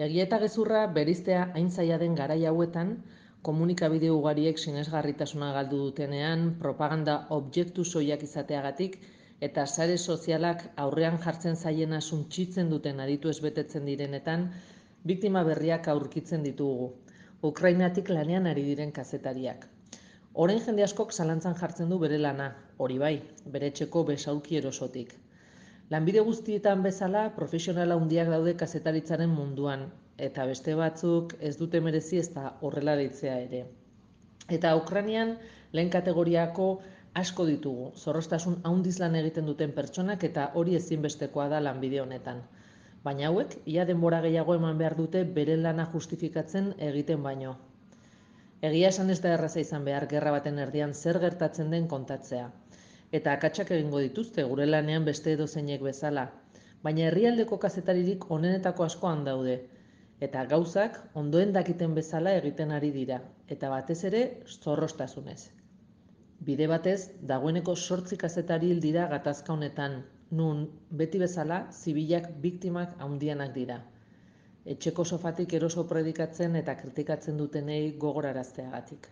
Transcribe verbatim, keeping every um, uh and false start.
Egia eta gezurra bereiztea hain zaila den garai hauetan, komunikabide ugariek sinesgarritasuna galdu dutenean, propaganda objektu soilak izateagatik eta sare sozialak aurrean jartzen zaiena suntsitzen duten aditu ez betetzen direnetan, biktima berriak aurkitzen ditugu. Ukrainatik lanean ari diren kazetariak. Orain jende askok zalantzan jartzen du bere lana, hori bai, bere etxeko besaulki erosotik. Lanbide guztietan bezala, profesionala handiak daude kazetaritzaren munduan, eta beste batzuk ez dute merezi ez da horrela deitzea ere. Eta Ukrainian lehen kategoriako asko ditugu, zorroztasun handiz lan egiten duten pertsonak eta hori ezinbestekoa da lanbide honetan. Baina hauek, ia denbora gehiago eman behar dute beren lana justifikatzen egiten baino. Egia esan ez da erraza izan behar gerra baten erdian zer gertatzen den kontatzea. Eta akatsak egingo dituzte gure lanean beste edozeinek bezala. Baina herrialdeko kazetaririk onenetako askoan daude. Eta gauzak ondoen dakiten bezala egiten ari dira. Eta batez ere zorrostasunez. Bide batez, dagoeneko sortzi kazetari hil dira gatazka honetan, nun beti bezala zibilak biktimak handianak dira. Etxeko sofatik eroso predikatzen eta kritikatzen dutenei gogorarazteagatik.